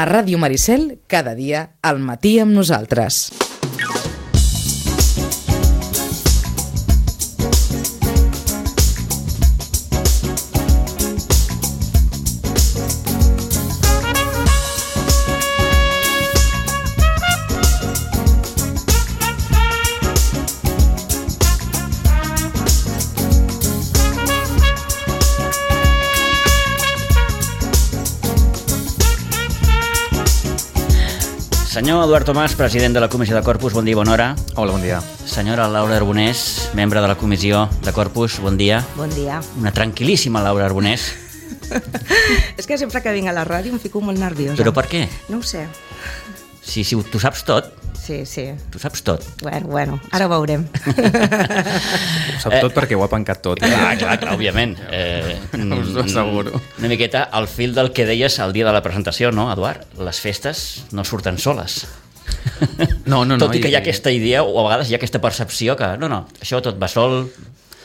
A Ràdio Maricel, cada dia, al matí amb nosaltres. Senyor Eduard Tomàs, president de la Comissió de Corpus, bon dia, bona hora. Hola, bon dia. Senyora Laura Arbonés, membre de la Comissió de Corpus, bon dia. Bon dia. Una tranquil·líssima Laura Arbonés. És que sempre que vinc a la ràdio em fico molt nerviosa. Però per què? No ho sé. Si tu saps tot. Sí. Tu saps tot. Bueno, ara ho veurem. Ho sap tot perquè ho ha pencat tot. Clar, òbviament. Us ho asseguro. Una miqueta al fil del que deies el dia de la presentació, no, Eduard? Les festes no surten soles. No. Tot i que hi ha aquesta idea, o a vegades hi ha aquesta percepció que no, això tot va sol.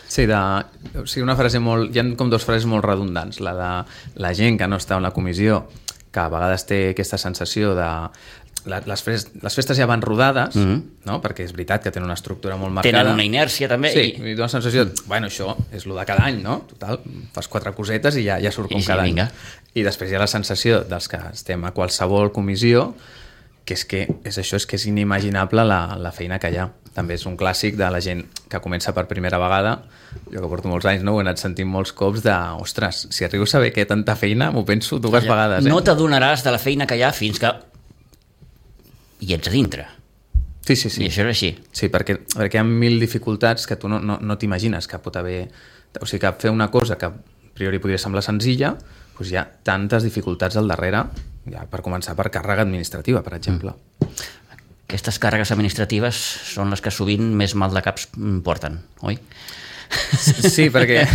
Sí, una frase molt... Hi ha com dues frases molt redundants. La de la gent que no està en la comissió, que a vegades té aquesta sensació de... Les festes ja van rodades, no? Perquè és veritat que tenen una estructura molt marcada. Tenen una inèrcia també. Sí, i una sensació de, això és el de cada any, no? Total, fas 4 cosetes i ja surt com cada any. I després hi ha la sensació dels que estem a qualsevol comissió, que és inimaginable la feina que hi ha. També és un clàssic de la gent que comença per primera vegada. Jo que porto molts anys, no? Ho he anat sentint molts cops de, ostres, si arribo a saber que hi ha tanta feina, m'ho penso 2 vegades. No t'adonaràs de la feina que hi ha fins que hi ets a dintre. Sí. I això és així. Sí, perquè hi ha 1000 dificultats que tu no t'imagines que pot haver... O sigui, que fer una cosa que a priori podria semblar senzilla, doncs hi ha tantes dificultats al darrere, ja per començar per càrrega administrativa, per exemple. Aquestes càrregues administratives són les que sovint més mal de caps porten, oi? Sí, perquè...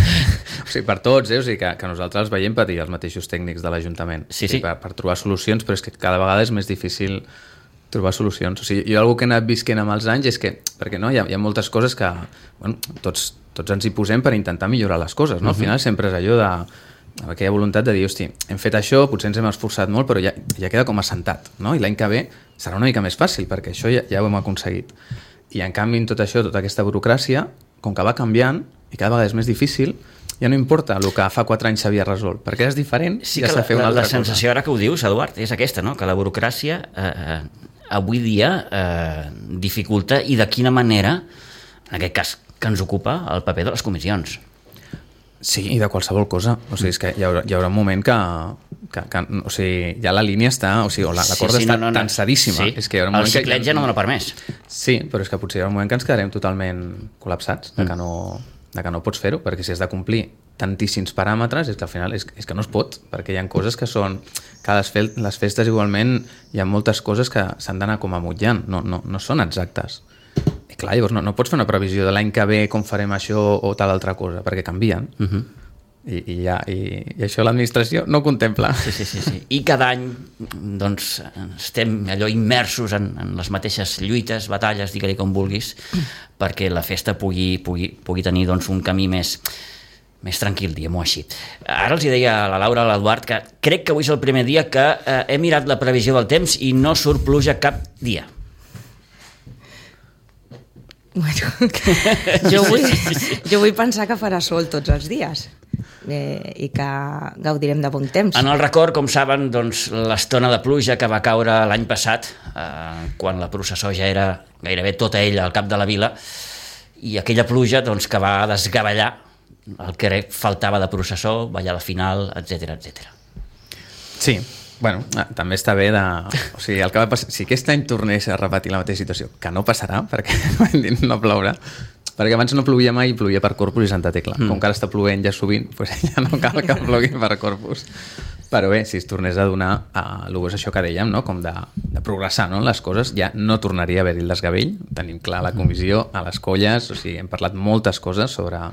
O sigui, per tots, o sigui, que nosaltres veiem patir els mateixos tècnics de l'Ajuntament. Sí. Per trobar solucions, però és que cada vegada és més difícil trobar solucions. O sigui, jo algú que he anat visquent amb els anys és que, perquè no, hi ha moltes coses que, tots ens hi posem per intentar millorar les coses, no? Al final sempre és allò de aquella voluntat de dir, hosti, hem fet això, potser ens hem esforçat molt, però ja queda com assentat, no? I l'any que ve serà una mica més fàcil, perquè això ja ho hem aconseguit. I en canvi, en tot això, tota aquesta burocràcia, com que va canviant, i cada vegada és més difícil, ja no importa el que fa 4 anys s'havia resolt, perquè és diferent, sí, ja s'ha fet una altra cosa. La sensació ara que ho dius, Eduard, és aquesta, no? Que la burocràcia avui dia dificulta, i de quina manera, en aquest cas que ens ocupa, el paper de les comissions. Sí, i de qualsevol cosa. O sigui, és que hi haurà un moment que o sigui, ja la línia està... O sigui, la corda està tensadíssima. Sí. És que hi haurà un moment el ciclet ja no dona per més. Sí, però és que potser hi haurà un moment que ens quedarem totalment col·lapsats, de que no pots fer-ho, perquè si has de complir tantíssims paràmetres, és que al final és que no es pot, perquè hi ha coses que són... Que les festes igualment hi ha moltes coses que s'han d'anar com amotlant, no són exactes. I clar, llavors no pots fer una previsió de l'any que ve com farem això o tal altra cosa, perquè canvien. I això l'administració no contempla. Sí. I cada any doncs, estem allò immersos en les mateixes lluites, batalles, digue-li com vulguis, perquè la festa pugui tenir doncs, un camí més tranquil, diguem-ho així. Ara els deia a la Laura, a l'Eduard, que crec que avui és el primer dia que he mirat la previsió del temps i no surt pluja cap dia. Bueno, jo vull pensar que farà sol tots els dies i que gaudirem de bon temps. En el record, com saben, doncs, l'estona de pluja que va caure l'any passat, quan la processó ja era gairebé tota ella al cap de la vila, i aquella pluja doncs, que va desgavellar el que faltava de processó, ballar la final, etc. Sí, bueno, també està bé de... O sigui, el que va passar, si aquest any tornés a repetir la mateixa situació, que no passarà, perquè no plourà, perquè abans no plovia mai i plovia per Corpus i Santa Tecla. Com que ara està plovent ja sovint, doncs ja no cal que plogui per Corpus. Però bé, si es tornés a donar és això que dèiem, no? Com de progressar, no? Les coses, ja no tornaria a haver-hi el desgavell. Tenim clar la comissió, a les colles, o sigui, hem parlat moltes coses sobre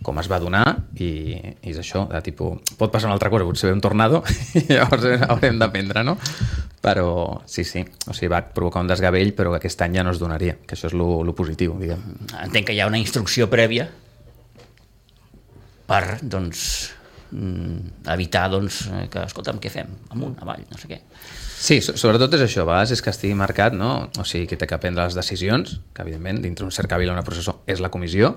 com es va donar i és això, de tipus, pot passar una altra cosa, potser ve un tornado i llavors haurem d'aprendre, no? Però sí, o sigui, va provocar un desgavell, però que aquest any ja no es donaria, que això és lo positiu, diguem. Entenc que hi ha una instrucció prèvia per, doncs, evitar, doncs, que, escolta'm, què fem? Amunt, avall, no sé què. Sí, sobretot és això, a vegades és que estigui marcat, no? O sigui, que té que prendre les decisions, que evidentment dintre un cercavila una processó és la comissió,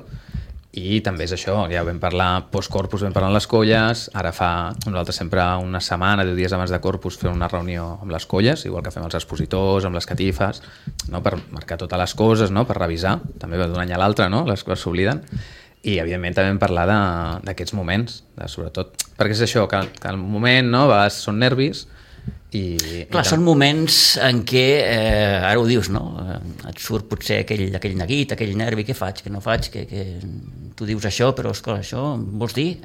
i també és això, ja vam parlar post-corpus, vam parlar amb les colles, ara fa nosaltres sempre una setmana, 10 dies abans de corpus fem una reunió amb les colles, igual que fem els expositors, amb les catifes, no? Per marcar totes les coses, no? Per revisar, també d'un any a l'altre, no? Les coses s'obliden, i evidentment també vam parlar d'aquests moments, sobretot, perquè és això, que el moment, no? A vegades són nervis, Clar, són moments en què, ara ho dius, no? Et surt potser aquell neguit, aquell nervi, què faig, què no faig, que tu dius això, però esclar, això vols dir?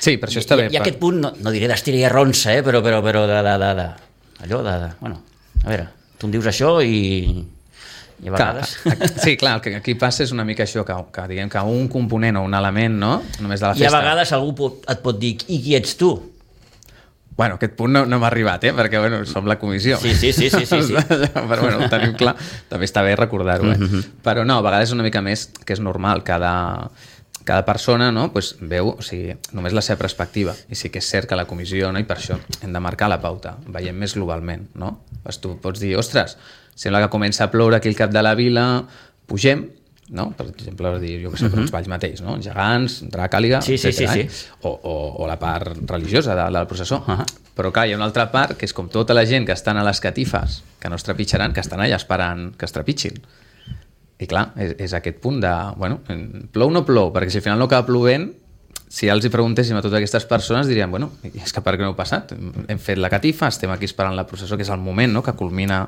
Sí, per això està bé. I aquest punt, no diré d'estirar i arronsa, però allò bueno, a veure, tu em dius això i a vegades... Sí, clar, el que aquí passa és una mica això, que diguem que un component o un element, no? Només de la festa... I a vegades algú et pot dir, i qui ets tu? Bueno, aquest punt no m'ha arribat, perquè bueno, som la comissió. Sí. Però bueno, ho tenim clar. També està bé recordar-ho, Però no, a vegades és una mica més que és normal. Cada persona, no, pues, veu, o sigui, només la seva perspectiva. I sí que és cert que la comissió, no, i per això hem de marcar la pauta. Veiem més globalment, no? Pues tu pots dir, ostres, sembla que comença a ploure aquí al cap de la vila, pugem, no? Per exemple, jo que sé, per uns balls mateix, no? Gegants, Dracàliga, etcètera. O la part religiosa de la processó. Però clar, hi ha una altra part que és com tota la gent que estan a les catifes, que no es trepitjaran, que estan allà esperant que es trepitgin. I clar, és aquest punt de, bueno, plou o no plou? Perquè si al final no acaba plovent, si ja els hi preguntéssim a totes aquestes persones, dirien, bueno, és que per què no heu passat? Hem fet la catifa, estem aquí esperant la processó, que és el moment, no?, que culmina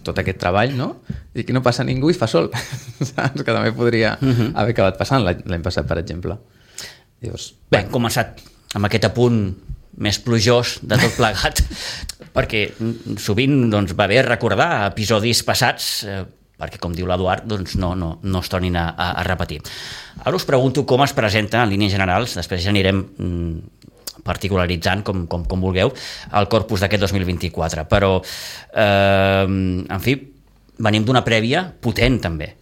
tot aquest treball, no? I aquí no passa ningú i fa sol. Saps? Que també podria haver acabat passant l'any passat, per exemple. Llavors, bé, hem començat amb aquest apunt més plujós de tot plegat, perquè sovint doncs, va bé recordar episodis passats, perquè, com diu l'Eduard, doncs no es tornin a repetir. Ara us pregunto com es presenta en línies generals, després ja anirem particularitzant com vulgueu el corpus d'aquest 2024, però en fi, venim d'una prèvia potent també.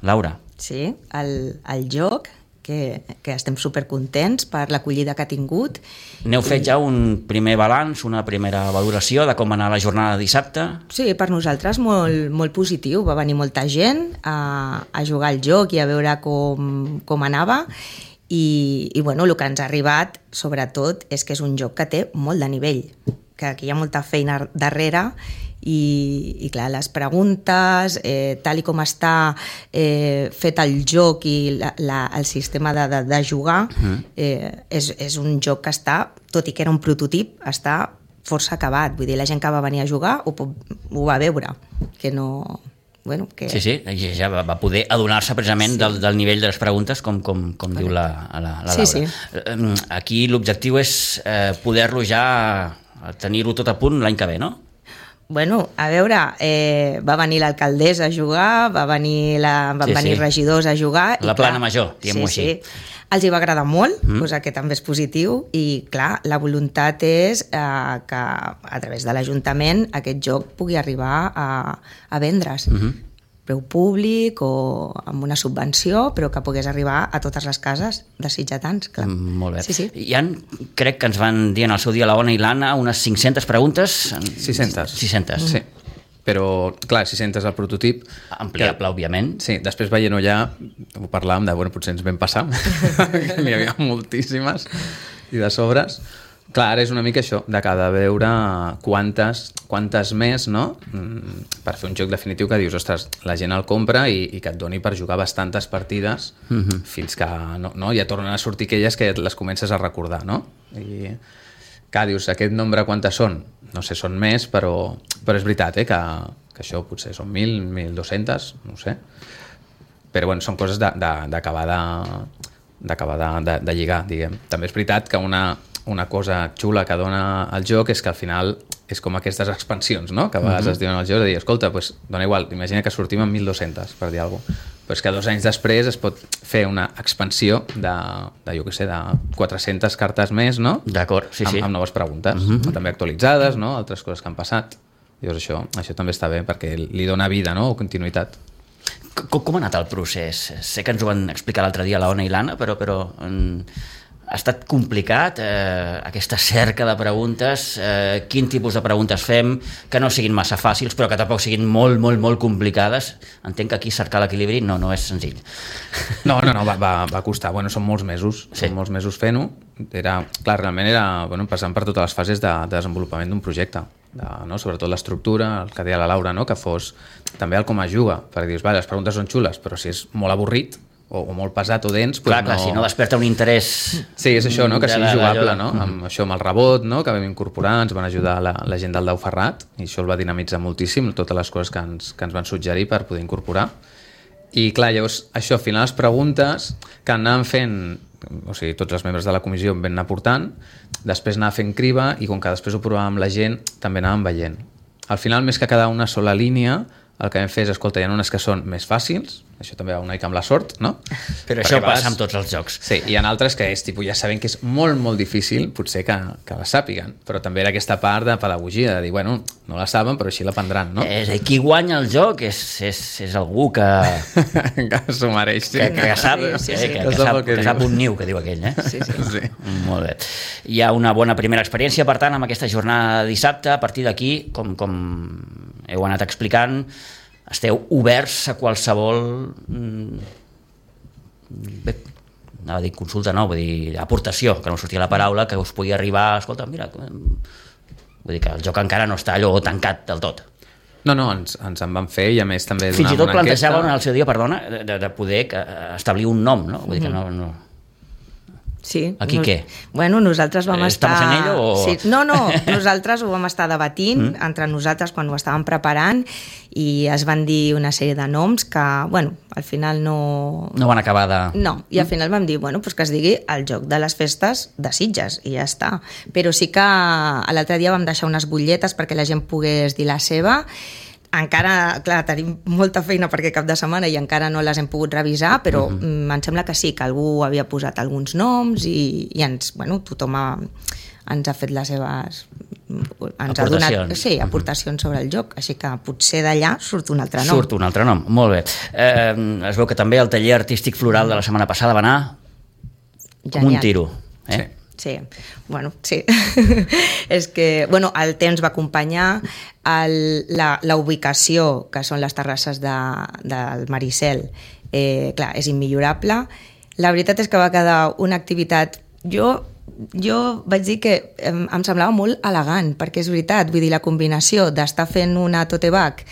Laura. Sí, el joc que estem supercontents per l'acollida que ha tingut. N'heu fet ja un primer balanç, una primera valoració de com anar la jornada de dissabte? Sí, per nosaltres molt positiu. Va venir molta gent a jugar al joc i a veure com anava. I bueno, el que ens ha arribat, sobretot, és que és un joc que té molt de nivell, que aquí hi ha molta feina darrere i clar, les preguntes, tal i com està fet el joc i el sistema de jugar, és un joc que està, tot i que era un prototip, està força acabat. Vull dir, la gent que va venir a jugar ho va veure, que no... Bueno, que... Sí, ja va poder adonar-se precisament del nivell de les preguntes, com diu la Laura. Sí. Aquí l'objectiu és poder-lo ja tenir-ho tot a punt l'any que ve, no? Bueno, a veure, va venir l'alcaldessa a jugar, van venir regidors a jugar... La plana major, diguem-ho així. Sí. Els hi va agradar molt, cosa que també és positiu, i clar, la voluntat és que a través de l'Ajuntament aquest joc pugui arribar a vendre's. Preu públic o amb una subvenció, però que pogués arribar a totes les cases de sitgetans. Clar. Molt bé. Sí. Hi ha, crec que ens van dir en el seu dia la Ona i l'Anna, unes 500 preguntes. 600. Sí. Però, clar, 600 el prototip... Ampliable, òbviament. Sí, després veient-ho ja, ho parlàvem de, bueno, potser ens vam passar, que n'hi havia moltíssimes, i de sobres. Clar, ara és una mica això, de cada veure quantes més, no?, per fer un joc definitiu que dius, ostres, la gent el compra i que et doni per jugar bastantes partides fins que no, ja tornen a sortir aquelles que les comences a recordar, no? I... que dius, aquest nombre quantes són? No sé, són més, però és veritat, que això potser són 1.000, 1.200, no ho sé. Però bueno, són coses d'acabar de lligar, diguem. També és veritat que una cosa xula que dona el joc és que al final és com aquestes expansions, no?, que a vegades es diuen al joc, de dir, escolta, pues, dona igual, imagina que sortim amb 1.200, per dir alguna cosa. Però és que 2 anys després es pot fer una expansió de jo què sé, de 400 cartes més, no? D'acord, sí. Amb noves preguntes, també actualitzades, no?, altres coses que han passat. Llavors això també està bé, perquè li dona vida, no?, o continuïtat. Com ha anat el procés? Sé que ens ho van explicar l'altre dia la Ona i l'Anna, però ha estat complicat aquesta cerca de preguntes, quin tipus de preguntes fem, que no siguin massa fàcils però que tampoc siguin molt, molt, molt complicades. Entenc que aquí cercar l'equilibri no és senzill. No, va costar. Bueno, són molts mesos, són molts mesos fent-ho. Realment era passant per totes les fases de desenvolupament d'un projecte, sobretot l'estructura, el que deia la Laura, que fos també el com es juga, perquè dius, les preguntes són xules, però si és molt avorrit o molt pesat o dens... Clar, si no desperta un interès... Sí, és això, que sigui jugable, amb això, amb el rebot, que vam incorporar, ens van ajudar la gent del Dau Ferrat, i això el va dinamitzar moltíssim, totes les coses que ens van suggerir per poder incorporar. I clar, llavors, això, al final les preguntes que anàvem fent, o sigui, tots els membres de la comissió en van anar portant, després anava fent criba, i com que després ho provàvem amb la gent, també anàvem veient. Al final, més que quedar una sola línia, el que vam fer és, escolta, hi ha unes que són més fàcils, això també va una mica amb la sort, no? Però això passa amb tots els jocs. Sí, hi ha altres que ja sabem que és molt, molt difícil, potser que la sàpiguen, però també era aquesta part de pedagogia, de dir, bueno, no la saben, però així l'aprendran, no? És a dir, qui guanya el joc és algú que... que s'ho mereix, sí. Que sap, que sap un niu, que diu aquell, Sí. Molt bé. Hi ha una bona primera experiència, per tant, amb aquesta jornada de dissabte. A partir d'aquí, com heu anat explicant, esteu oberts a qualsevol anava a dir consulta, vull dir aportació, que no sortia la paraula, que us pugui arribar, escolta, mira, vull dir que el joc encara no està allò tancat del tot. No, ens en van fer, i a més també fins i tot plantejaven al seu dia, perdona, de poder establir un nom, no? Vull dir que no... Sí. Aquí què? Bueno, nosaltres vam estar... Estamos en ello o...? Sí. No, nosaltres ho vam estar debatint entre nosaltres quan ho estàvem preparant i es van dir una sèrie de noms que, bueno, al final no... No van acabar de... No, i al final vam dir, bueno, pues que es digui el joc de les festes de Sitges i ja està. Però sí que l'altre dia vam deixar unes butlletes perquè la gent pogués dir la seva. Encara, clar, tenim molta feina perquè cap de setmana i encara no les hem pogut revisar, però em sembla que sí, que algú havia posat alguns noms i ens, bueno, tothom ens ha fet les seves... Ens ha donat, sí, aportacions sobre el joc, així que potser d'allà surt un altre nom. Surt un altre nom, molt bé. Es veu que també el taller artístic floral de la setmana passada va anar com un tiro. Sí, bueno, sí. És que, bueno, el temps va acompanyar la ubicació, que són les terrasses del Maricel, clar, és immillorable. La veritat és que va quedar una activitat... Jo vaig dir que em semblava molt elegant, perquè és veritat, vull dir, la combinació d'estar fent una tote bag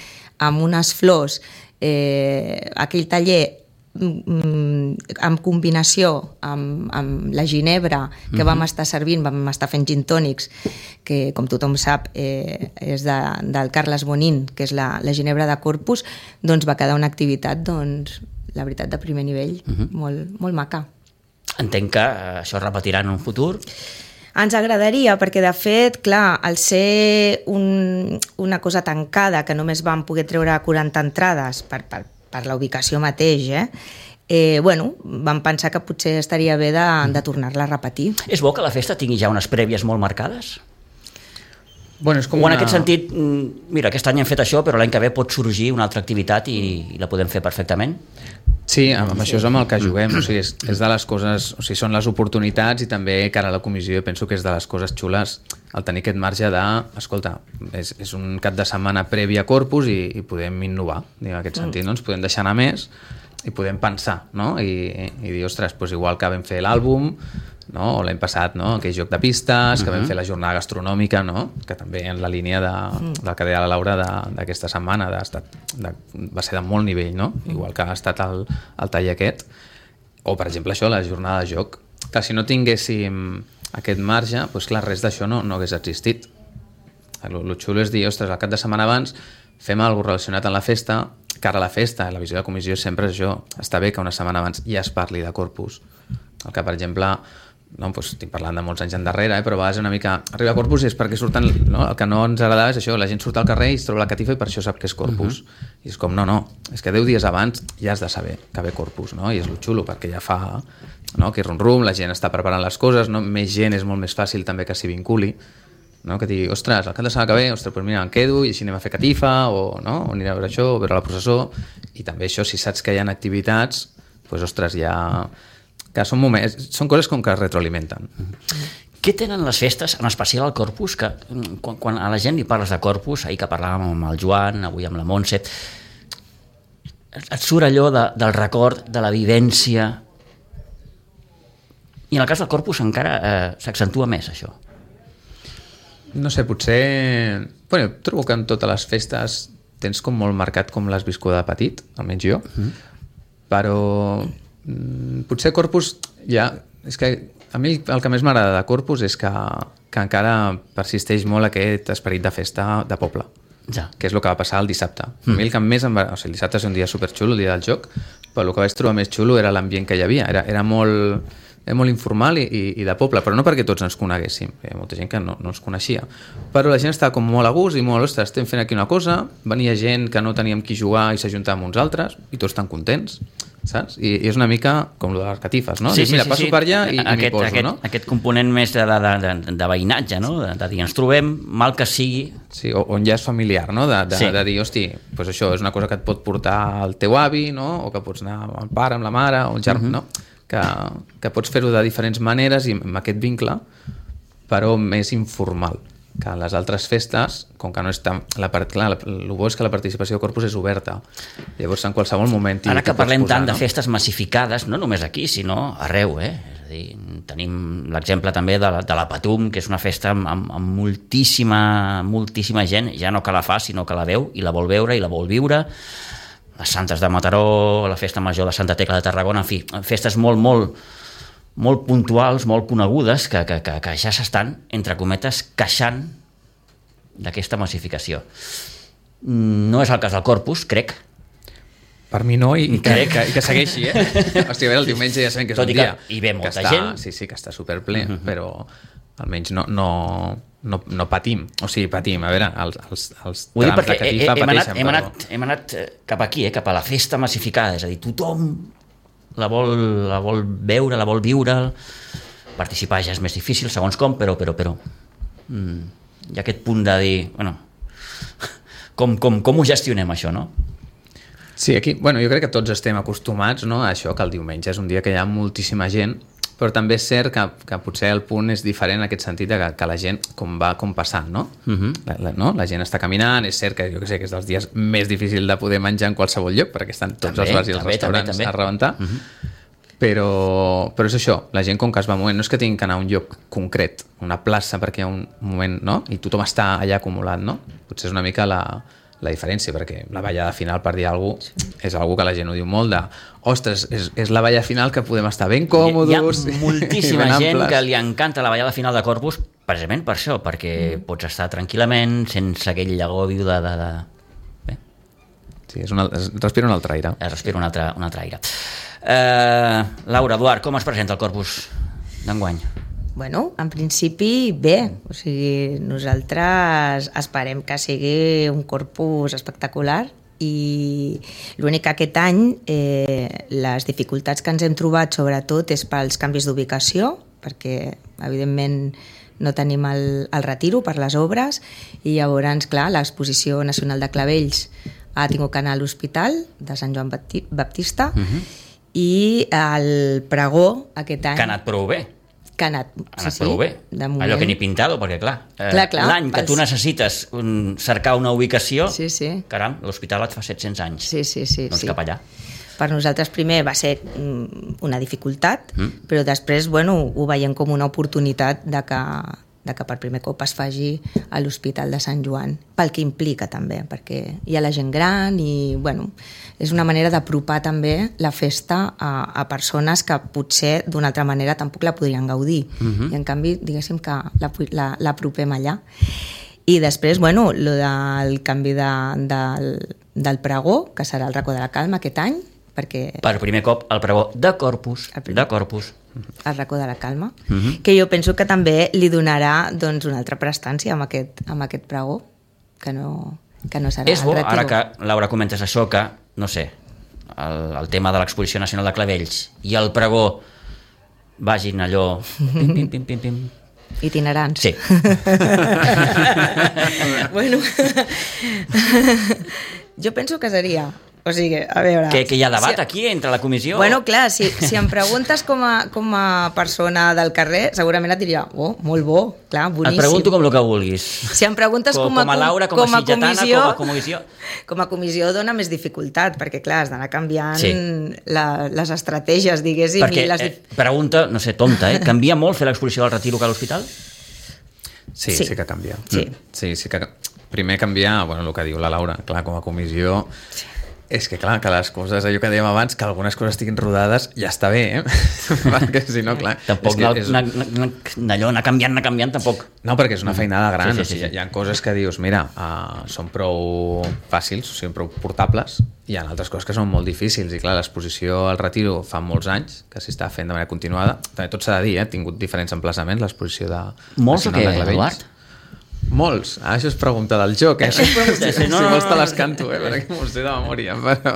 amb unes flors, aquell taller en combinació amb la ginebra que vam estar servint, vam estar fent gin tònics, que com tothom sap és del Carles Bonin, que és la ginebra de Corpus, doncs va quedar una activitat, doncs, la veritat, de primer nivell, molt, molt maca. Entenc que això es repetirà en un futur? Ens agradaria, perquè de fet, clar, al ser una cosa tancada, que només vam poder treure 40 entrades per la ubicació mateix, bueno, vam pensar que potser estaria bé de tornar-la a repetir. És bo que la festa tingui ja unes prèvies molt marcades? Bueno, és com o en aquest sentit, mira, aquest any hem fet això, però l'any que ve pot sorgir una altra activitat i la podem fer perfectament? Sí, amb això és amb el que juguem, o sigui, és de les coses, o sigui, són les oportunitats i també cara a la comissió penso que és de les coses xules el tenir aquest marge de, escolta, és un cap de setmana previ a Corpus i podem innovar, en aquest sentit, no? Ens podem deixar anar més i podem pensar, no? I dir, ostres, doncs igual que vam fer l'àlbum, no? O l'any passat, no? Aquell joc de pistes, que vam fer la jornada gastronòmica, no? Que també en la línia del que deia la Laura d'aquesta setmana va ser de molt nivell, no? Igual que ha estat el taller aquest, o per exemple això, la jornada de joc, que si no tinguéssim aquest marge, doncs clar, res d'això no hagués existit. El xulo és dir, ostres, el cap de setmana abans fem alguna cosa relacionat amb la festa, cara a la festa, la visió de comissió sempre és això, està bé que una setmana abans ja es parli de Corpus. El que, per exemple, no, doncs estic parlant de molts anys endarrere, però a vegades una mica arriba a Corpus i és perquè surten, no? El que no ens agradava és això, la gent surt al carrer i es troba la catifa i per això sap que és Corpus. I és com, no, és que 10 dies abans ja has de saber que ve Corpus, no? I és lo xulo, perquè ja fa, no? Que rum-rum, la gent està preparant les coses, no? Més gent és molt més fàcil també que s'hi vinculi, no? Que digui, ostres, el cap de setmana que ve, ostres, doncs mira, em quedo i així anem a fer catifa, o, no? O anirem a veure això, o veure la processó, i també això, si saps que hi ha activitats, doncs ostres, ja... que són coses com que es retroalimenten. Què tenen les festes, en especial al Corpus, que quan a la gent li parles de Corpus, ahir que parlàvem amb el Joan, avui amb la Montse, et surt allò del record, de la vivència, i en el cas del Corpus encara s'accentua més això. No sé, potser... Bueno, trobo que en totes les festes tens com molt marcat com l'has viscut de petit, almenys jo, però potser Corpus ja... És que a mi el que més m'agrada de Corpus és que encara persisteix molt aquest esperit de festa de poble, que és el que va passar el dissabte. A mi el que més el dissabte és un dia superxulo, el dia del joc, però el que vaig trobar més xulo era l'ambient que hi havia. Era molt informal i de poble, però no perquè tots ens coneguéssim, hi ha molta gent que no ens coneixia, però la gent estava com molt a gust i molt, ostres, estem fent aquí una cosa, venia gent que no teníem qui jugar i s'ajuntava amb uns altres i tots tan contents, saps? I és una mica com el de les catifes, no? Dius, mira, passo per allà i m'hi poso, no? Aquest component més de veïnatge, no? De dir, ens trobem, mal que sigui... Sí, on ja és familiar, no? De dir, hosti, doncs això és una cosa que et pot portar el teu avi, no? O que pots anar amb el pare, amb la mare, o el germà, no? Que pots fer-ho de diferents maneres i amb aquest vincle, però més informal que les altres festes, com que no és tan... Clar, el bo és que la participació de Corpus és oberta, llavors en qualsevol moment... Ara que parlem tant de festes massificades, no només aquí, sinó arreu, És a dir, tenim l'exemple també de la Patum, que és una festa amb moltíssima gent, ja no que la fa, sinó que la veu i la vol veure i la vol viure, les Santes de Mataró, la Festa Major de Santa Tecla de Tarragona, en fi, festes molt puntuals, molt conegudes, que ja s'estan, entre cometes, queixant d'aquesta massificació. No és el cas del Corpus, crec. Per mi no, i que segueixi, Hòstia, a veure, el diumenge ja sabem que és un dia... Hi ve molta gent. Sí, que està superple, però almenys no patim, o sigui, patim, a veure, els trams de catifa pateixen. Hem anat cap aquí, cap a la festa massificada, és a dir, tothom la vol veure, la vol viure, participar ja és més difícil, segons com, però hi ha aquest punt de dir, bueno, com ho gestionem això, no? Sí, aquí, bueno, jo crec que tots estem acostumats, no, a això, que el diumenge és un dia que hi ha moltíssima gent, però també és cert que potser el punt és diferent en aquest sentit que la gent va passant, no? La gent està caminant, és cert que jo que sé que és dels dies més difícils de poder menjar en qualsevol lloc, perquè estan tots els bars i els restaurants a rebentar, però és això, la gent com que es va movent, no és que tinguin que anar a un lloc concret, una plaça perquè hi ha un moment, no? I tothom està allà acumulat, no? Potser és una mica la diferència, perquè la ballada final, per dir alguna cosa, és una que la gent ho diu molt de, ostres, és la ballada final que podem estar ben còmodes. Hi ha moltíssima gent que li encanta la ballada final de Corpus, precisament per això, perquè pots estar tranquil·lament, sense aquell agobi de... Bé. Sí, es respira un altre aire. Es respira un altre aire. Laura, Eduard, com es presenta el Corpus d'enguany? Bueno, en principi bé, o sigui, nosaltres esperem que sigui un Corpus espectacular i l'únic que aquest any les dificultats que ens hem trobat sobretot és pels canvis d'ubicació, perquè evidentment no tenim el retiro per les obres i llavors, clar, l'Exposició Nacional de Clavells ha tingut que anar a l'Hospital de Sant Joan Baptista i el pregó aquest any... Que ha anat prou bé. Que ha anat prou bé, allò que ni pintado, perquè clar, l'any que tu necessites cercar una ubicació, caram, l'hospital et fa 700 anys, doncs cap allà. Per nosaltres primer va ser una dificultat, però després ho veiem com una oportunitat de que per primer cop es faci a l'Hospital de Sant Joan, pel que implica també, perquè hi ha la gent gran i és una manera d'apropar també la festa a persones que potser d'una altra manera tampoc la podrien gaudir. I en canvi, diguéssim que l'apropem allà. I després, lo del canvi del pregó, que serà el racó de la calma aquest any, perquè... Per primer cop el pregó de Corpus. El racó de la calma, que jo penso que també li donarà una altra prestància amb aquest pregó, que no serà és bo, ara que Laura comentes això, que, no sé, el tema de l'Exposició Nacional de Clavells i el pregó vagin allò pim. Itinerants. Sí. Jo penso que seria O sigui, a veure... Que hi ha debat aquí entre la comissió? Bueno, clar, si em preguntes com a persona del carrer, segurament et diria, molt bo, clar, boníssim. Et pregunto com el que vulguis. Si em preguntes com a Laura, com a sitgetana, com a comissió dona més dificultat, perquè clar, has d'anar canviant les estratègies, diguéssim. Perquè, pregunta, no sé, tonta, canvia molt fer l'exposició del Retiro que a l'hospital? Sí que canvia. Sí que... Primer canviar, bueno, el que diu la Laura, clar, com a comissió... És que, clar, que les coses, allò que dèiem abans, que algunes coses estiguin rodades, ja està bé, perquè si no, clar... Tampoc anar canviant, tampoc... No, perquè és una feinada gran, sí. Hi ha coses que dius, mira, són prou fàcils, són prou portables, i hi ha altres coses que són molt difícils, i clar, l'exposició al Retiro fa molts anys, que s'hi està fent de manera continuada, també tot s'ha de dir, ha tingut diferents emplaçaments, l'exposició de... Molts o què, Eduard? Molts, això és pregunta del joc, Això és pregunta, si vols te les canto, perquè m'ho sé de memòria, però...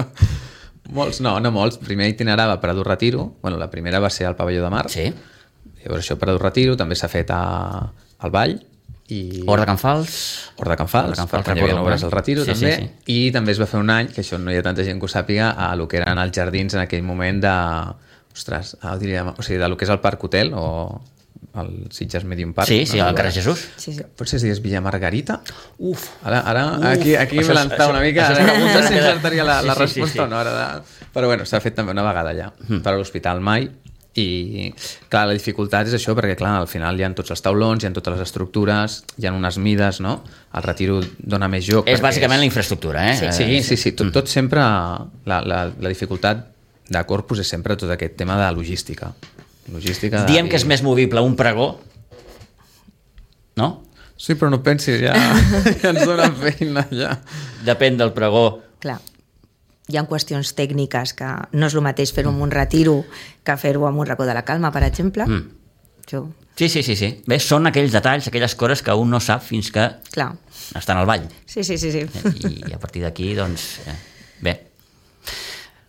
Molts, no molts. Primer itinerava per Prado Retiro, bueno, la primera va ser al Pavelló de Mar, llavors això Prado Retiro, també s'ha fet al Vall, i... Hort de Can Fals, perquè hi havia obres al Retiro, també, i també es va fer un any, que això no hi ha tanta gent que ho sàpiga, a lo que eren els jardins en aquell moment de... Ostres, diríem, o sigui, de lo que és el Parc Hotel, o... el Sitges Medium Park. Sí, al carrer Jesús. Potser si digués Villa Margarita. Uf. Ara aquí m'he lançat una mica. No sé si encertaria la resposta o no. Però bueno, s'ha fet també una vegada allà. Per a l'Hospital mai. I clar, la dificultat és això, perquè clar, al final hi ha tots els taulons, hi ha totes les estructures, hi ha unes mides, no? El Retiro dona més joc. És bàsicament la infraestructura, Sí. Tot sempre... La dificultat de Corpus és sempre tot aquest tema de logística. Diem que és més movible un pregó, no? Sí, però no pensis, ja ens dona feina, ja. Depèn del pregó. Clar, hi ha qüestions tècniques que no és el mateix fer-ho en un Retiro que fer-ho en un racó de la Calma, per exemple. Sí. Bé, són aquells detalls, aquelles coses que un no sap fins que estan al ball. Sí. I a partir d'aquí, doncs, bé.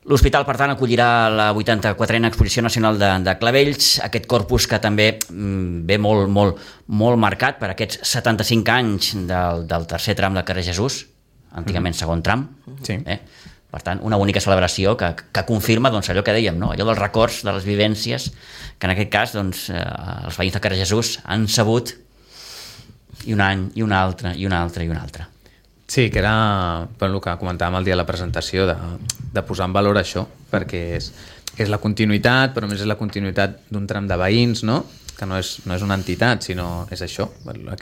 L'hospital, per tant, acollirà la 84a Exposició Nacional de Clavells, aquest corpus que també ve molt marcat per aquests 75 anys del tercer tram del carrer Jesús, antigament segon tram. Sí. Per tant, una única celebració que confirma doncs, allò que dèiem, no? Allò dels records, de les vivències, que en aquest cas doncs, els veïns del carrer Jesús han sabut i un any, i un altre, i un altre, i un altre. Sí, que era el que comentàvem el dia de la presentació, de posar en valor això, perquè és la continuïtat, però més és la continuïtat d'un tram de veïns, no? Que no és una entitat, sinó és això.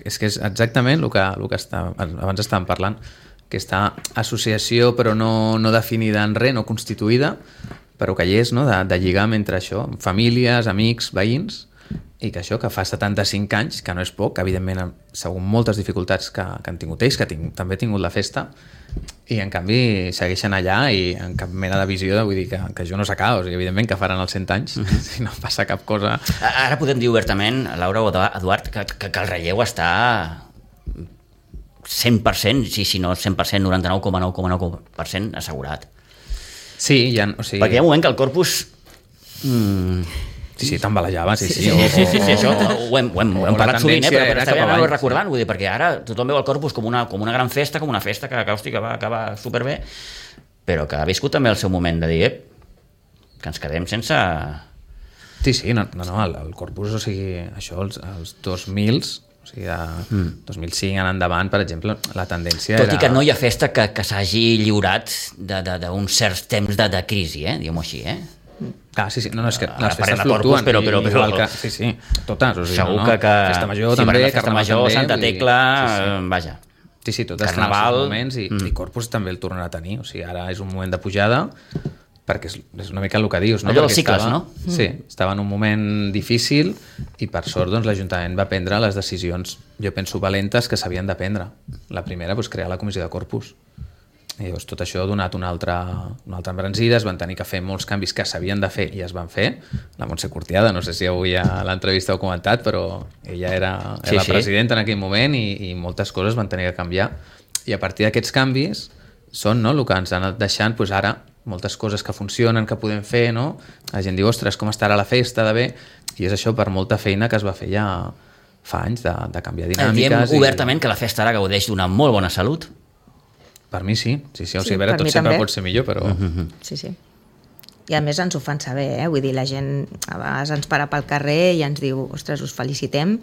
És que és exactament el que abans estàvem parlant, aquesta associació però no definida en res, no constituïda, però que hi és, no? De lligam entre això, famílies, amics, veïns, i que això, que fa 75 anys, que no és poc, que evidentment segons moltes dificultats que han tingut ells, que també ha tingut la festa, i en canvi segueixen allà i en cap mena de visió de, vull dir, que això no s'acaba, o sigui, evidentment que faran els 100 anys si no passa cap cosa. Ara podem dir obertament, Laura o Eduard, que el relleu està 100%, si no 100%, 99,9% assegurat. Sí, o sigui... Perquè hi ha un moment que el corpus... Sí, t'embalejava, sí. Això ho hem parlat sovint, però està bé anar-ho recordant, vull dir, perquè ara tothom veu el Corpus com una gran festa, com una festa que va acabar superbé, però que ha viscut també el seu moment de dir que ens quedem sense... Sí, no, el Corpus, o sigui, això, els 2000s, o sigui, de 2005 en endavant, per exemple, la tendència era... Tot i que no hi ha festa que s'hagi lliurat d'uns certs temps de crisi, diguem-ho així, sí, no, és que les festes fluctuen, però sí, totes, o sigui, segur que Festa Major també, Festa Major, Santa Tecla, vaja. Sí, totes Carnaval, moments i Corpus també el tornarà a tenir, o sigui, ara és un moment de pujada, perquè és una mica el que dius, no? Allò dels cicles, no? Sí, estava en un moment difícil i per sort doncs, l'Ajuntament va prendre les decisions, jo penso, valentes que s'havien de prendre. La primera, crear la comissió de Corpus. I llavors tot això ha donat una altra embranzida, es van tenir que fer molts canvis que s'havien de fer i es van fer. La Montse Cortiada, no sé si avui a l'entrevista ho he comentat, però ella era la presidenta en aquell moment i moltes coses van tenir que canviar. I a partir d'aquests canvis són el que ens han anat deixant ara moltes coses que funcionen, que podem fer, no? La gent diu, ostres, com estarà la festa de bé? I és això per molta feina que es va fer ja fa anys de canviar dinàmiques. Diem obertament que la festa ara gaudeix d'una molt bona salut. Per mi sí. O sigui, a veure, per tot mi sempre també. pot ser millor, però... Sí. I a més ens ho fan saber, vull dir, la gent a vegades ens para pel carrer i ens diu, ostres, us felicitem,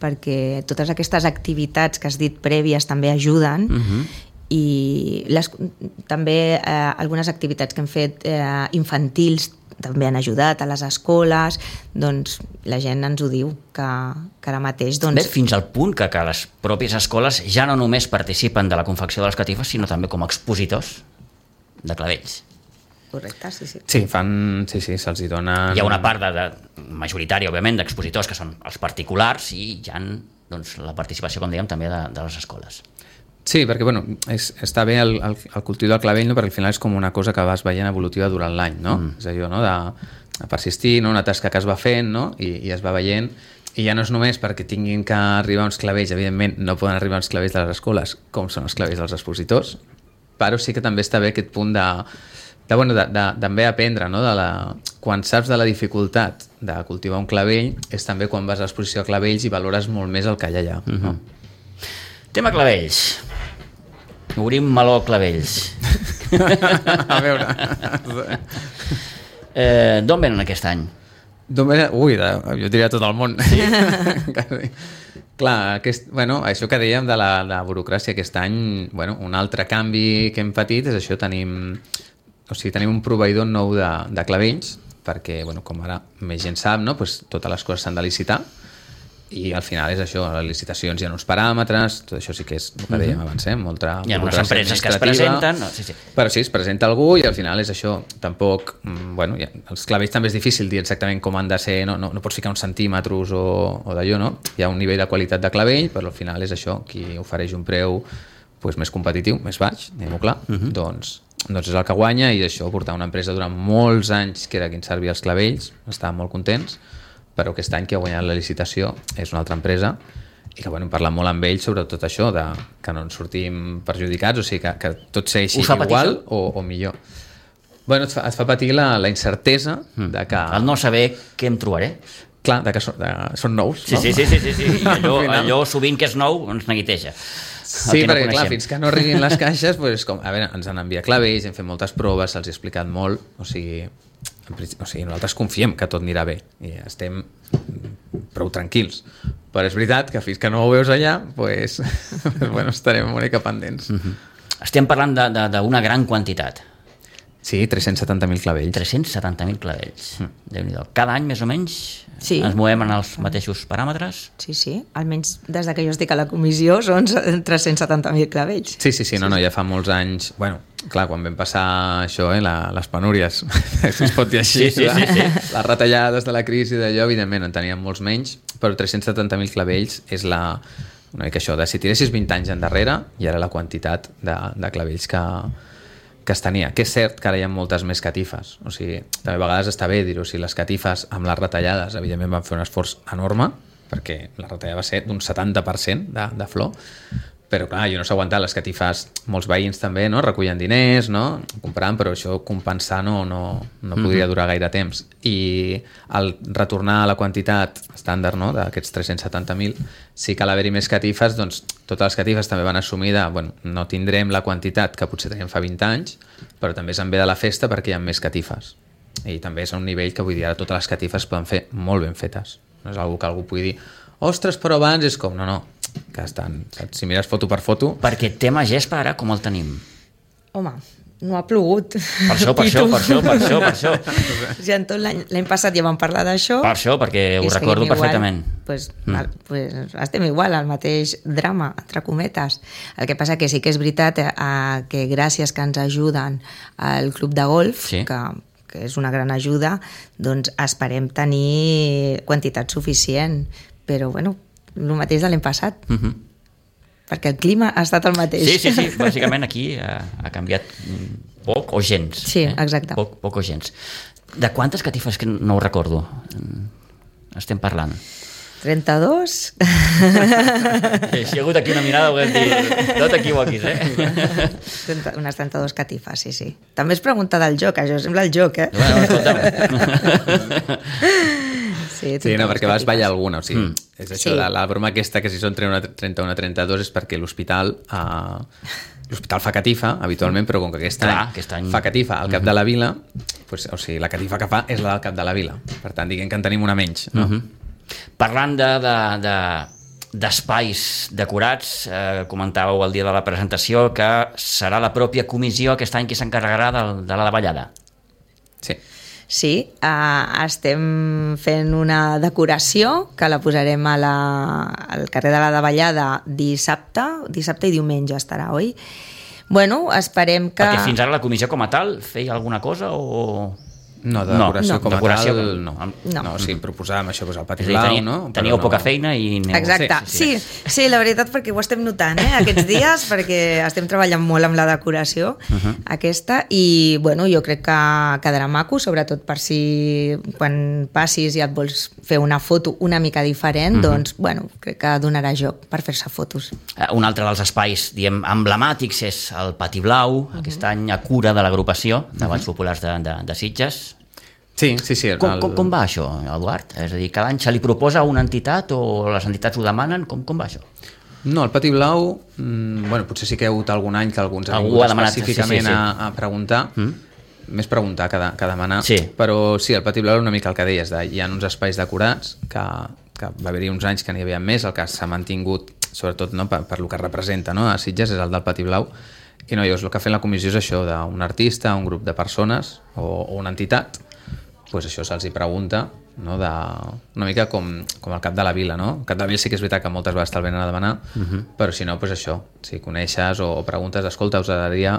perquè totes aquestes activitats que has dit prèvies també ajuden, i també algunes activitats que hem fet infantils també han ajudat a les escoles, doncs la gent ens ho diu, que ara mateix... Bé, fins al punt que les pròpies escoles ja no només participen de la confecció de les catifes, sinó també com a expositors de clavells. Correcte, sí. Sí, se'ls hi donen... Hi ha una part majoritària, òbviament, d'expositors que són els particulars i hi ha doncs, la participació, com dèiem, també de les escoles. Sí, perquè bueno, està bé el cultiu del clavell, no? Perquè al final és com una cosa que vas veient evolutiva durant l'any, no? És allò, no? De persistir, no? Una tasca que es va fent, no? I es va veient, i ja no és només perquè tinguin que arribar uns clavells, evidentment no poden arribar uns clavells de les escoles com són els clavells dels expositors, però sí que també està bé aquest punt de també aprendre, no? Quan saps de la dificultat de cultivar un clavell és també quan vas a l'exposició de clavells i valores molt més el que hi ha allà. No? Tema clavells. Obrim meló clavells. A veure. D'on venen aquest any? D'on venen? Ui, jo diria tot el món. Sí? Clar, això que dèiem de la burocràcia aquest any, un altre canvi que hem patit és això, tenim un proveïdor nou de clavells, perquè, com ara més gent sap, no? Pues, totes les coses s'han de licitar, i al final és això, les licitacions hi ha uns paràmetres, tot això sí que és el que dèiem abans, molta hi ha unes empreses que es presenten, però sí, es presenta algú i al final és això, tampoc els clavells també és difícil dir exactament com han de ser, no pots ficar uns centímetres o d'allò, no? Hi ha un nivell de qualitat de clavell, però al final és això, qui ofereix un preu més competitiu, més baix, diguem-ho clar, doncs és el que guanya, i això, portar una empresa durant molts anys que era qui ens servia els clavells, estàvem molt contents, però aquest any que ha guanyat la licitació és una altra empresa, i que hem parlat molt amb ells sobre tot això, que no ens sortim perjudicats, o sigui que tot segueixi igual o millor. Et fa patir la incertesa de que... El no saber què em trobaré. Clar, que són nous, no? Sí. Allò sovint que és nou ens neguiteja. Sí, perquè clar, fins que no arribin les caixes, ens han enviat clavells, hem fet moltes proves, se'ls ha explicat molt, o sigui, nosaltres confiem que tot anirà bé i estem prou tranquils, però és veritat que fins que no ho veus allà estarem una mica pendents. Estem parlant d'una gran quantitat. Sí, 370.000 clavells. 370.000 clavells. Déu-n'hi-do. Cada any, més o menys, ens movem en els mateixos paràmetres? Sí. Almenys des que jo estic a la comissió són 370.000 clavells. Sí, ja fa molts anys... Clar, quan vam passar això, les penúries, si es pot dir així, les retallades de la crisi d'allò, evidentment en teníem molts menys, però 370.000 clavells és una mica això, si tiressis 20 anys endarrere, i ara la quantitat de clavells que es tenia, que és cert que ara hi ha moltes més catifes, o sigui, també a vegades està bé dir-ho, si les catifes amb les retallades evidentment van fer un esforç enorme, perquè la retallada va ser d'un 70% de flor, però clar, jo no s'ha aguantat, les catifes, molts veïns també, no? Recullen diners, no? Comprant, però això compensar no podria durar gaire temps, i al retornar a la quantitat estàndard, no? D'aquests 370.000, sí que a l'haver-hi més catifes, doncs totes les catifes també van assumir no tindrem la quantitat que potser teníem fa 20 anys, però també és en bé de la festa perquè hi ha més catifes, i també és a un nivell que vull dir, ara totes les catifes poden fer molt ben fetes, no és algú que algú pugui dir ostres, però abans és com, no, que estan, saps? Si mires foto per foto... Perquè tema gespa ara com el tenim? Home, no ha plogut. Per això. Ja en tot l'any passat ja vam parlar d'això. Per això, perquè ho recordo perfectament. Pues estem igual, al mateix drama, entre cometes. El que passa que sí que és veritat que gràcies que ens ajuden al club de golf, que és una gran ajuda, doncs esperem tenir quantitat suficient, però el mateix de l'any passat, perquè el clima ha estat el mateix. Sí, bàsicament aquí ha canviat poc o gens. Sí, exacte. Poc o gens. De quantes catifes, que no ho recordo, estem parlant? 32. Si hi ha hagut aquí una mirada, ho hem dit, no t'equivoquis, Unes 32 catifes, sí. També es pregunta del joc, això sembla el joc, Sí, perquè vas ballar alguna, o sigui, és això, la broma aquesta que si són 31 o 32 és perquè l'hospital l'hospital fa catifa, habitualment, però com que aquest any fa catifa al cap de la vila, doncs, o sigui, la catifa que fa és la del cap de la vila. Per tant, diguem que en tenim una menys. No? Parlant d'espais decorats, comentàveu el dia de la presentació que serà la pròpia comissió aquest any qui s'encarregarà de la davallada. Sí. Sí, estem fent una decoració que la posarem al carrer de la Davallada dissabte i diumenge estarà, oi? Bueno, esperem que... Perquè fins ara la comissió com a tal feia alguna cosa o... No, de decoració com a tal, no. No. Sí, proposàvem això, el Pati Blau, no? Teníeu poca feina i... Exacte, sí, la veritat, perquè ho estem notant, aquests dies, perquè estem treballant molt amb la decoració aquesta, i bueno, jo crec que quedarà maco, sobretot per si quan passis i et vols fer una foto una mica diferent, doncs, bueno, crec que donarà joc per fer-se fotos. Un altre dels espais, diguem, emblemàtics és el Pati Blau, aquest any a cura de l'agrupació de Balls Populars de Sitges. Sí. Com va això, Eduard? És a dir, cada any se li proposa a una entitat o les entitats ho demanen? Com va això? No, el Pati Blau, bueno, potser sí que hi ha hagut algun any que alguns han vingut específicament a preguntar, més preguntar que demanar, però sí, el Pati Blau una mica el que deies, hi ha uns espais decorats que va haver-hi uns anys que n'hi havia més, el que s'ha mantingut, sobretot no, per el que representa, no, a Sitges és el del Pati Blau, i no, el que ha fet la comissió és això, d'un artista, un grup de persones o una entitat, pues això se'ls hi pregunta, no, una mica com el cap de la vila, no? El cap de la vila sí que és veritat que moltes vegades te'l venen a demanar, però si no, pues això, si coneixes o preguntes, escolta, us agradaria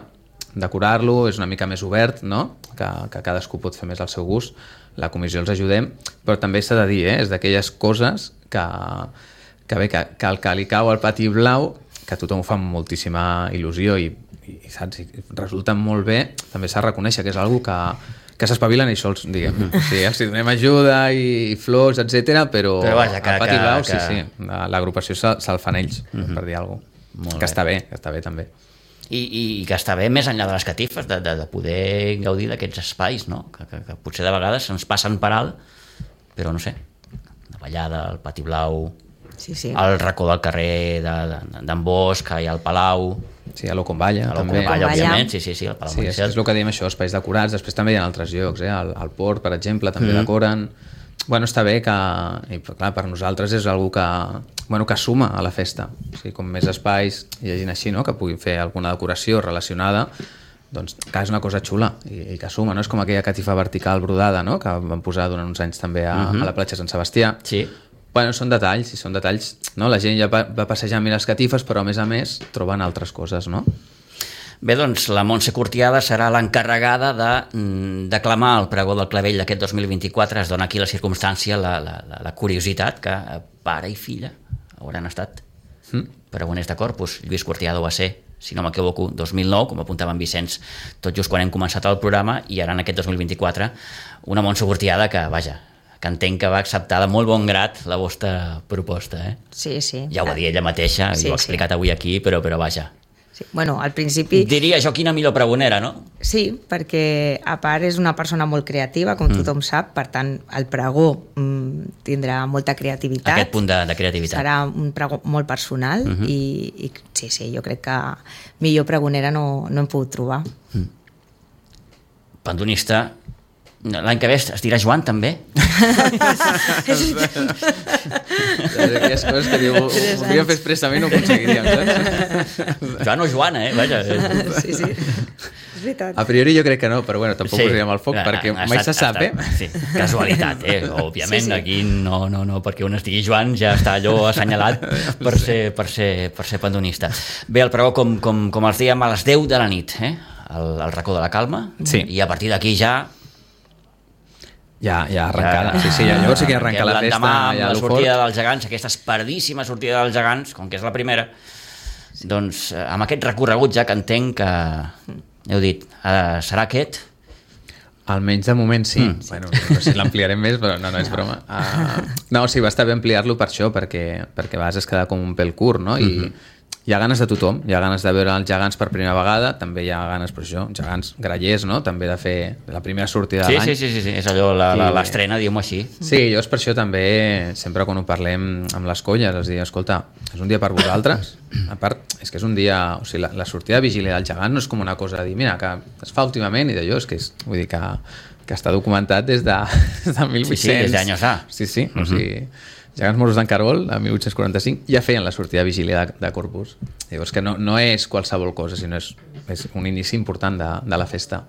decorar-lo, és una mica més obert, no? Que cadascú pot fer més al seu gust, la comissió els ajudem, però també s'ha de dir, és d'aquelles coses que el que li cau al Pati Blau, que a tothom ho fa amb moltíssima il·lusió i saps, resulta molt bé, també s'ha de reconèixer que és una cosa que s'espavilen ells sols, diguem. Sí, els donem ajuda i flors, etc, però vaja, al Pati Blau, sí, l'agrupació se'l fan ells, per dir alguna cosa. Que està bé també. I que està bé més enllà de les catifes, de poder gaudir d'aquests espais, no? Que potser de vegades ens passen per alt, però no sé, la Vallada, el Pati Blau, el racó del carrer d'en Bosch, hi ha el Palau... Sí, a l'Oconvalla, també. Òbviament, sí, el Palau Montsec. És el que diem això, espais decorats, després també hi ha altres llocs, al Port, per exemple, també decoren. Bueno, està bé que, i clar, per nosaltres és algú que suma a la festa. O sigui, com més espais hi hagin així, no?, que puguin fer alguna decoració relacionada, doncs clar, és una cosa xula i que suma, no? És com aquella catifa vertical brodada, no?, que van posar durant uns anys també a la platja Sant Sebastià. Sí. Bueno, són detalls, no? La gent ja va passejant les catifes, però a més troben altres coses, no? Bé, doncs la Montse Cortiada serà l'encarregada de declamar el pregó del Clavell d'aquest 2024. Es dona aquí la circumstància, la curiositat que pare i filla hauran estat pregoners de Corpus. Lluís Cortiada va ser, si no m'equivoco, 2009, com apuntava en Vicenç, tot just quan hem començat el programa, i ara en aquest 2024 una Montse Cortiada que, vaja, que entenc que va acceptar de molt bon grat la vostra proposta, eh? Sí. Ja ho va dir ella mateixa, i ho ha explicat avui aquí, però vaja. Sí. Bueno, al principi... Diria jo quina millor pregonera, no? Sí, perquè a part és una persona molt creativa, com tothom sap, per tant el pregó tindrà molta creativitat. Aquest punt de creativitat. Serà un pregó molt personal i sí, jo crec que millor pregonera no hem pogut trobar. Pandonista... L'any que ve es dirà Joan, també? Aquelles coses que diu, voldria fer expressament, no ho aconseguiríem, saps? Joan o Joana, vaja. Sí, és veritat. A priori jo crec que no, però bueno, tampoc posaríem al foc, perquè mai se sap, Sí, casualitat, òbviament, aquí no, perquè on estigui Joan ja està allò assenyalat per ser pandonista. Bé, el pregó, com els dèiem, a les 10 de la nit, al racó de la Calma, i a partir d'aquí ja arrencada. Llavors sí que arrenca la festa. L'endemà, amb la sortida dels gegants, aquesta esperadíssima sortida dels gegants, com que és la primera, doncs amb aquest recorregut ja que entenc que, heu dit, serà aquest? Almenys de moment sí. Bueno, no sé si l'ampliarem més, però no és broma. No, sí, va estar bé ampliar-lo per això, perquè a vegades es queda com un pèl curt, no? I hi ha ganes de tothom, hi ha ganes de veure els gegants per primera vegada, també hi ha ganes, per això, gegants grallers, no? També de fer la primera sortida de l'any. Sí, és allò, l'estrena, diguem-ho així. Sí, jo és per això també, sempre quan ho parlem amb les colles, els dic, escolta, és un dia per vosaltres, a part, és que és un dia, o sigui, la sortida de vigília del gegant no és com una cosa de dir, mira, que es fa últimament i d'allò, és que és, vull dir que està documentat des de 1800. Sí, des d'anys A. Sí, o sigui, gegants moros d'en Cargol, a 1845, ja feien la sortida de vigília de Corpus. Llavors que no és qualsevol cosa, sinó és un inici important de la festa.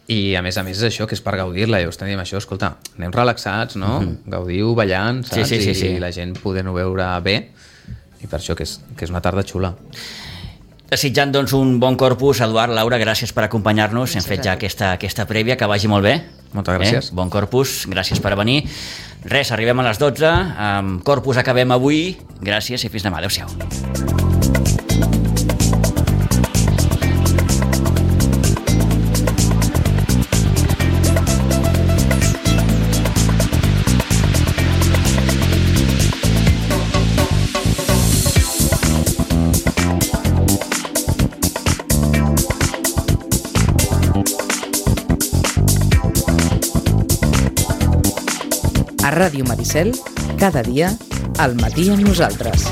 I a més és això, que és per gaudir-la. Llavors tenim això, escolta, anem relaxats, no? Gaudiu ballant, saps? Sí. I la gent podent-ho veure bé. I per això que és una tarda xula. Desitjant doncs un bon Corpus, Eduard, Laura, gràcies per acompanyar-nos. Hem fet ja aquesta prèvia, que vagi molt bé. Moltes gràcies. Bon Corpus, gràcies per venir. Res, arribem a les 12, amb Corpus acabem avui. Gràcies i fins demà. Adéu-siau. A Ràdio Maricel, cada dia, al matí amb nosaltres.